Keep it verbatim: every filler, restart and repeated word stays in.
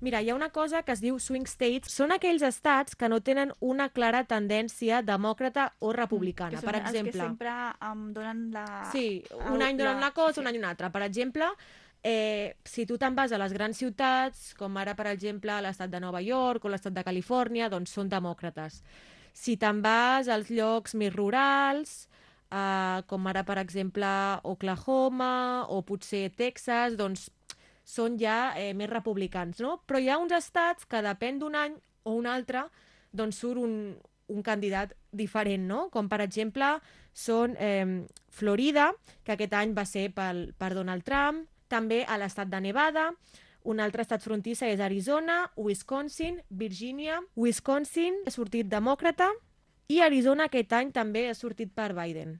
Mira, hi ha una cosa que es diu swing states. Són aquells estats que no tenen una clara tendència demòcrata o Mm, que republicana. Per són els que exemple, sempre em donen la... sí, un el- any la... donen una cosa, Sí. un any una altra. Per exemple, eh, si tu te'n vas a les grans ciutats, com ara, per exemple, l'estat de Nova York o l'estat de Califòrnia, doncs són demòcrates. Si te'n vas als llocs més rurals, eh, com ara, per exemple, Oklahoma o potser Texas, doncs són ja eh, més republicans, no? Però hi ha uns estats que depèn d'un any o un altre, doncs surt un, un candidat diferent, no? Com per exemple són eh, Florida, que aquest any va ser pel, per Donald Trump, també a l'estat de Nevada, un altre estat frontisser és Arizona, Wisconsin, Virgínia. Wisconsin ha sortit demòcrata i Arizona aquest any també ha sortit per Biden.